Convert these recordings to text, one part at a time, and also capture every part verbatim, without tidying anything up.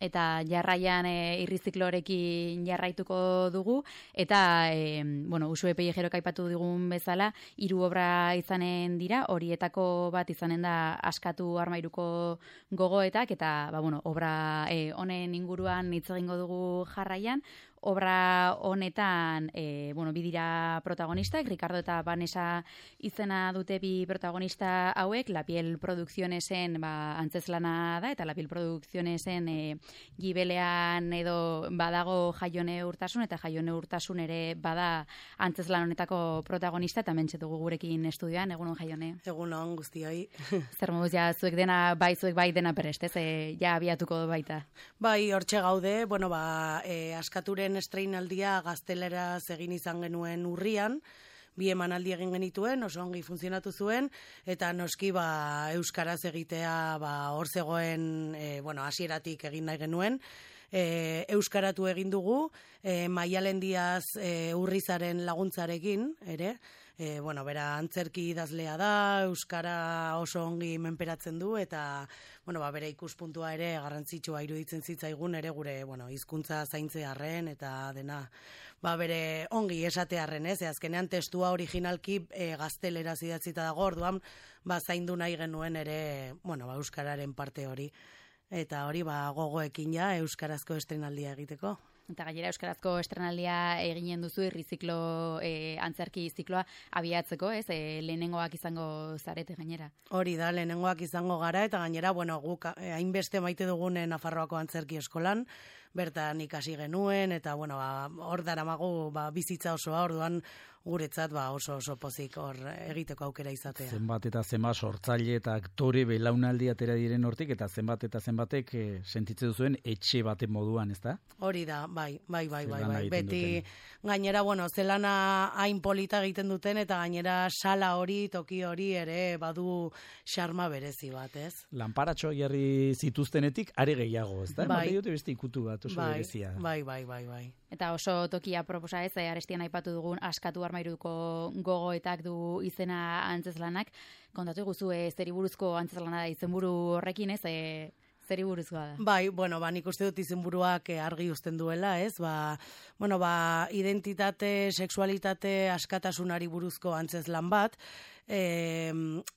eta jarraian e, irriziklorekin jarraituko dugu, eta, e, bueno, Uxue Pellejerok aipatu digun bezala, hiru obra izanen dira, horietako bat izanen da Askatu Armairuko gogoetak, eta, ba, bueno, obra e, honen inguruan hitz egingo dugu jarraian. Obra honetan, e, bueno, bi dira protagonistak, Ricardo eta Vanessa izena dute bi protagonista hauek, La Piel Produccionesen ba, antzeslana da, eta La Piel Produccionesen e, gibelean edo badago Jaione Urtasun, eta Jaione Urtasun ere bada antzeslan honetako protagonista, eta mentxe dugu gurekin estudioan, egunon Jaione. Egunon guztioi. Zer moduz, ja, zuek dena, bai, zuek bai dena prest, ez, e, ja abiatuko baita. Bai, hortxe gaude, bueno, ba, e, Askaturen estreinaldia gazteleraz egin izan genuen urrian, bi emanaldi egin genituen, oso ongi funtzionatu zuen, eta noski ba, euskaraz egitea ba, hor zegoen, e, bueno, hasieratik egin nahi genuen, e, euskaratu egin dugu, e, Maialen Diaz e, Urrizaren laguntzarekin, ere, e, bueno, bera antzerki idazlea da, euskara oso ongi menperatzen du, eta bueno, ba, bere ikuspuntua ere garrantzitsua iruditzen zitzaigun ere gure, bueno, hizkuntza zaintzearren eta dena, ba, bere ongi esatearren, ez? E, azkenean testua originalki e, gazteleraz idatzita dago, orduan, ba, zaindu nahi genuen ere, bueno, ba, euskararen parte hori. Eta hori, ba, gogoekin ja, euskarazko estrenaldia egiteko. Eta gainera euskarazko estrenaldia eginen duzu irriziklo e, antzerki zikloa abiatzeko, ez? E, lehenengoak izango zarete gainera. Hori da, lehenengoak izango gara, eta gainera, bueno, guk hainbeste maite dugun Nafarroako antzerki eskolan, bertan ikasi genuen, eta bueno, ba, hor daramagu ba, bizitza osoa, orduan guretzat ba, oso oso pozik hor egiteko aukera izatea. Zenbat eta zenbat sortzaile eta aktore belaunaldi atera diren hortik, eta zenbat eta zenbatek e, sentitze duzuen etxe baten moduan, ez da? Hori da, bai, bai, bai, bai, bai. Beti duten. Gainera, bueno, zelana hain polita egiten duten, eta gainera sala hori, toki hori ere badu xarma berezi bat, ez? Lanparatxo jarri zituztenetik are gehiago, ez da? Bai. Bai. Dute beste ikutu bat, oso bai, berezia. Bai, bai, bai, bai. Eta oso tokia proposa ez, arestian aipatu dugun Askatu Armairuko gogoetak du izena antzeslanak. Kontatu guzu, e, zeri buruzko antzeslana da izenburu horrekin, ez, e, zeri buruzkoa da? Bai, bueno, ba, nik uste dut izenburuak argi uzten duela, ez? Ba, bueno, ba, identitate, sexualitate, askatasunari buruzko antzeslan bat, E,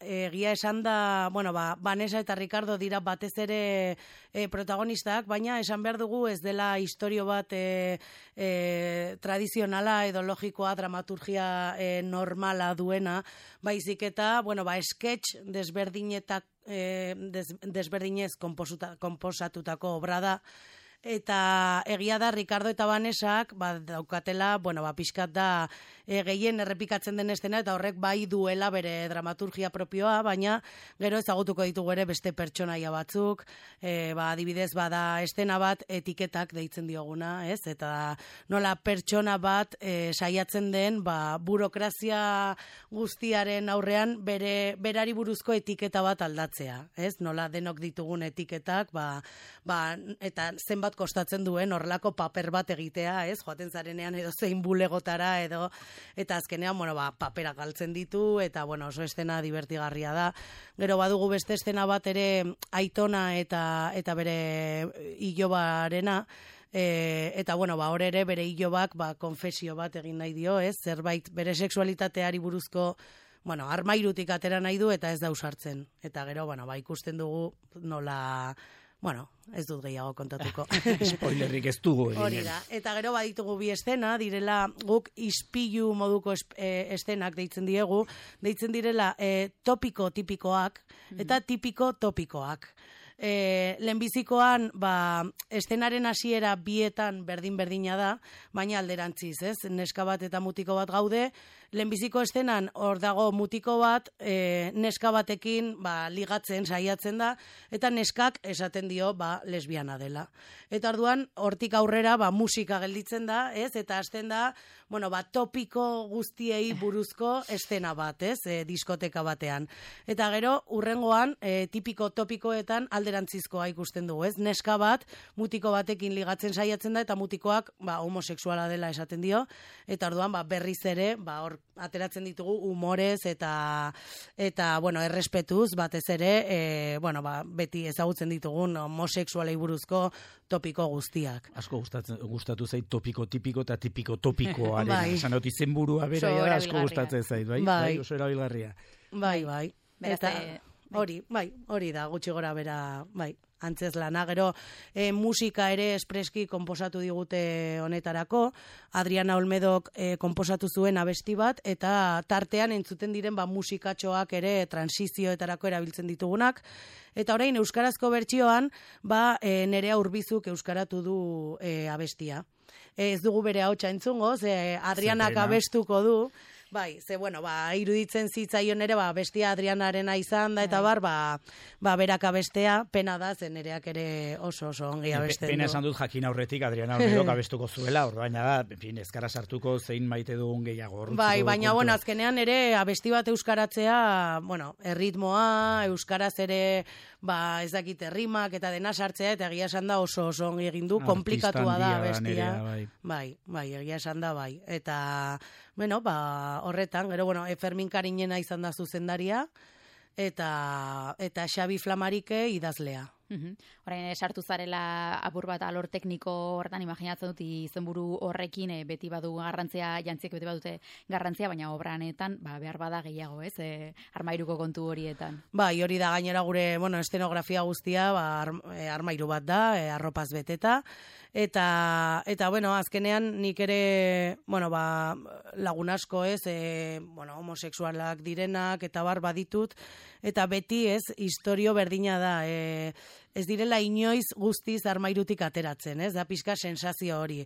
egia esan da, bueno, ba, Vanessa eta Ricardo dira batez ere e, protagonistak, baina esan behar dugu ez dela historio bat e, e, tradizionala edo logikoa, dramaturgia e, normala duena, baizik eta, bueno, ba, sketch desberdinetak, e, des, desberdinez konposatutako obra da. Eta egia da, Ricardo eta Vanesak, ba, daukatela, bueno, ba, pixkat da e, gehien errepikatzen den estena, eta horrek bai duela bere dramaturgia propioa, baina gero ezagutuko ditugu ere beste pertsonaia batzuk, e, ba, adibidez, bada estena bat etiketak deitzen dioguna, ez? Eta nola pertsona bat e, saiatzen den, ba, burokrazia guztiaren aurrean bere berari buruzko etiketa bat aldatzea, ez? Nola denok ditugun etiketak, ba, ba, eta zenbat kostatzen duen horrelako paper bat egitea, ez? Joaten zarenean edo zein bulegotara edo, eta azkenean, bueno, ba, papera galtzen ditu, eta, bueno, oso estena divertigarria da. Gero badugu beste estena bat ere Aitona eta eta bere ilobarena, e, eta, bueno, ba, hor ere bere ilobak, ba, konfesio bat egin nahi dio, ez? Zerbait bere sexualitateari buruzko, bueno, armairutik atera nahi du eta ez da usartzen. Eta gero, bueno, ba, ikusten dugu nola, bueno, ez dut gehiago kontatuko. Spoilerrik ez dugu egin. Hori da. Eta gero baditugu bi estena, direla guk ispilu moduko estenak deitzen diegu, deitzen direla e, topiko tipikoak eta tipiko topikoak. E, lehenbizikoan, ba, estenaren hasiera bietan berdin-berdina da, baina alderantziz, ez? Neska bat eta mutiko bat gaude, lehenbiziko estenan hor dago mutiko bat, e, neska batekin ba, ligatzen saiatzen da, eta neskak esaten dio ba, lesbiana dela. Eta orduan, hortik aurrera ba, musika gelditzen da, ez? Eta hasten da, bueno, ba, topiko guztiei buruzko estena bat, ez? E, diskoteka batean. Eta gero, urrengoan, e, tipiko topikoetan alderantzizkoa ikusten dugu, ez? Neska bat, mutiko batekin ligatzen saiatzen da, eta mutikoak ba, homosexuala dela esaten dio, eta orduan ba, berriz ere, ba, hor ateratzen ditugu humorez eta eta bueno, errespetuz batez ere, e, bueno, ba, beti ezagutzen ditugun homosexualei buruzko topiko guztiak. Asko gustatzen gustatu zait topiko tipiko eta tipiko topikoaren. Bai. Esan dut izenburua bera Oso da, asko erabilgarria. gustatzen zait, bai? Bai. Bai, oso erabilgarria. Bai, bai. Beraz, Eta eh, hori, bai, hori da, gutxi gora bera, bai, antzezlana. Gero, e, musika ere espreski konposatu digute honetarako. Adriana Olmedok e, konposatu zuen abesti bat, eta tartean entzuten diren ba, musikatxoak ere transizioetarako erabiltzen ditugunak. Eta orain, euskarazko bertsioan, ba, e, Nerea Urbizuk euskaratu du e, abestia. E, ez dugu bere ahotsa entzungo, ze Adrianak Zepena. abestuko du. Bai, ze bueno, ba, iruditzen zitzaion ere, ba, bestia Adrianarena izan da, eta bar, ba, ba, berak abestea, pena da, zen nereak ere oso oso ongi abesten Pena du. esan dut jakin aurretik Adriana Olmedok abestuko zuela, ordaina da, en fin, ezkara sartuko zein maite dugun gehiago. Orduntzuko Bai, baina, kontua. bueno, azkenean ere abesti bat euskaratzea, bueno, erritmoa, euskaraz ere, ba, ez dakit errimak eta dena sartzea, eta egia esan da oso oso ongi egin du, Artista komplikatua da handia da abestia. Nerea, bai. Bai, bai, egia esan da, bai. Eta, bueno, ba, horretan, gero, bueno, e, Fermin Karinena izan da zuzendaria, eta, eta Xabi Flamarike idazlea. Mhm. Orain eh, sartu zarela apur bat alor tekniko hortan imaginatzen dut izenburu horrekin eh, beti badu garrantzia, jantziek beti badute garrantzia, baina obranetan ba, behar bada gehiago, ez? E, armairuko kontu horietan. Bai, hori da gainera gure, bueno, estenografia guztia, ba, ar, e, armairu bat da, e, arropaz beteta, eta, eta, bueno, azkenean nik ere, bueno, ba, lagun asko ez, e, bueno, homosexualak direnak, eta bar baditut, eta beti ez, historio berdina da, e, ez direla inoiz guztiz armairutik ateratzen, ez? Da pixka sensazio hori.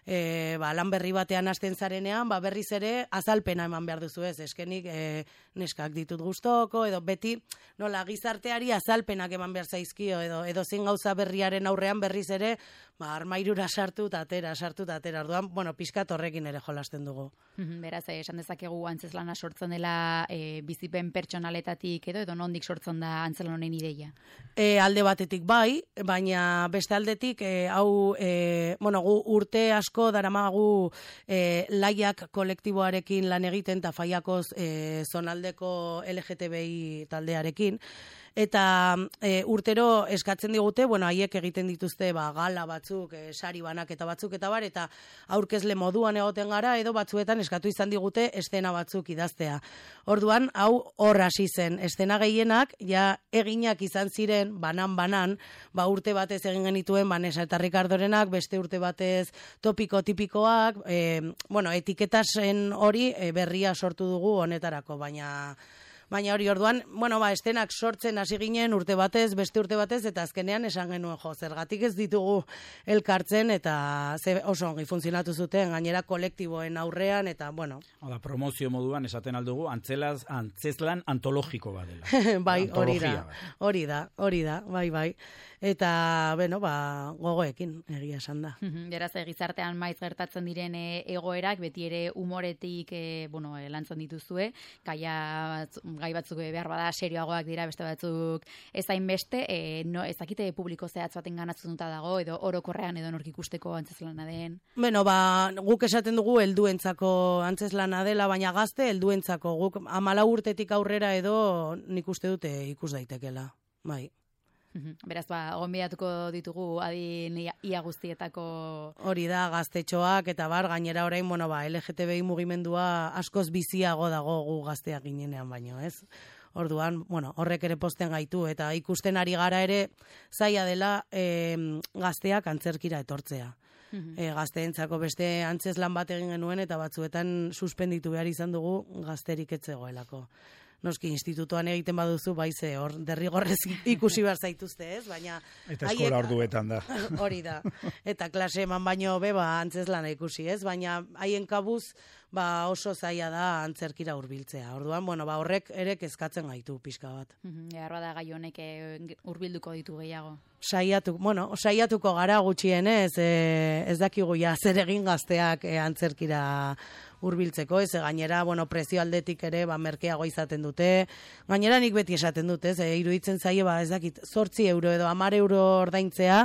E, ba, lan berri batean hasten zarenean, ba, berriz ere azalpena eman behar duzu, ez? Eskenik e, neskak ditut gustoko, edo beti nola gizarteari azalpenak eman behar zaizkio, edo edo zein gauza berriaren aurrean berriz ere, ba, armairura sartu eta atera, sartu eta atera. Orduan, bueno, pixkat horrekin ere jolasten dugu. Mhm, Beraz, eh, esan dezakegu antzezlana sortzen dela e, bizipen pertsonaletatik edo edo nondik sortzen da antzezlan honen ideia. E, alde batetik bai, baina beste aldetik, e, hau, e, bueno, gu urte asko daramagu e, laiak kolektiboarekin lan egiten eta faiakoz e, zonaldeko L G T B I taldearekin, eta e, urtero eskatzen digute, bueno, haiek egiten dituzte ba, gala batzuk, e, sari banaketa batzuk eta bar, eta aurkezle moduan egoten gara, edo batzuetan eskatu izan digute estena batzuk idaztea. Orduan, hau hor hasi zen, estena gehienak, ja eginak izan ziren, banan-banan, ba urte batez egin genituen, ba Nesa eta Ricardorenak, beste urte batez topiko tipikoak, e, bueno, etiketasen hori e, berria sortu dugu honetarako, baina... Baina hori orduan, bueno, ba, estenak sortzen hasi ginen urte batez, beste urte batez, eta azkenean esan genuen jo, zergatik ez ditugu elkartzen, eta ze oso ongi funtzionatu zuten, gainera kolektiboen aurrean, eta bueno. Hala, promozio moduan esaten aldugu, antzelaz, antzezlan antologiko badela. Bai, hori da, Antologia bat. hori da, hori da, bai, bai. Eta, bueno, ba, gogoekin, egia esan da. Mhm, Beraz, eh, gizartean maiz gertatzen diren eh, egoerak, beti ere umoretik eh, bueno, eh, lantzen dituzue, gaia, batzu- gai batzuk eh, behar bada serioagoak dira, beste batzuk ezain beste, eh, no, ezakite publiko zehatz baten ganatzuta dago, edo orokorrean edo nork ikusteko antzezlana den. Bueno, ba, guk esaten dugu helduentzako antzeslana dela, baina gazte helduentzako guk hamalau urtetik aurrera edo nik uste dute ikus daitekela. Bai. Mhm, Beraz, ba, gonbidatuko ditugu adin ia, ia guztietako... Hori da, gaztetxoak eta bar, gainera orain, bueno, ba, L G T B I mugimendua askoz biziago dago gu gazteak ginenean baino, ez? Orduan, bueno, horrek ere posten gaitu, eta ikusten ari gara ere zaila dela e, gazteak antzerkira etortzea. E, gazteentzako beste antzeslan bat egin genuen, eta batzuetan suspenditu behar izan dugu gazterik etzegoelako. Noski, institutuan egiten baduzu, bai ze, hor, derrigorrez ikusi behar zaituzte, ez? Baina... Eta eskola orduetan da. Hori da. Eta klase eman baino be, ba, antzeslana ikusi, ez? Baina haien kabuz, ba, oso zaila da antzerkira hurbiltzea. Orduan, bueno, ba, horrek ere kezkatzen gaitu pixka bat. Mhm, Behar bada gai honek eh, hurbilduko ditu gehiago. saiatu, bueno, saiatuko gara gutxienez, e, ez dakigu ja zer egin gazteak e, antzerkira hurbiltzeko, ez gainera, bueno, prezio aldetik ere, ba, merkeago izaten dute, gainera nik beti esaten dut, ez, e, iruditzen zaie, ba, ez dakit, zortzi euro edo hamar euro ordaintzea,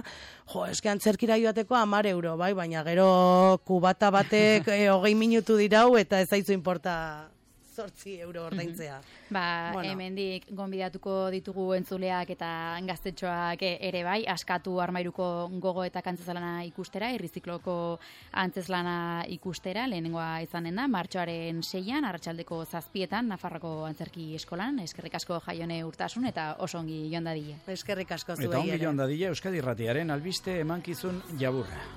jo, eske antzerkira joateko hamar euro, bai, baina gero kubata batek e, hogei minutu dirau, eta ez zaizu importa zortzi euro ordaintzea. Ba, bueno. Hemendik gonbidatuko ditugu entzuleak eta gaztetxoak ere bai, askatu armairuko gogo eta antzezlana ikustera, irrizikloko antzeslana ikustera, lehenengoa izanen da, martxoaren seian, arratsaldeko zazpietan, Nafarroko Antzerki Eskolan, eskerrik asko Jaione Urtasun, eta oso ongi joan dadila. Eskerrik asko zuei ere. Eta ongi ere. joan dadila Euskadi Irratiaren albiste emankizun jaburra.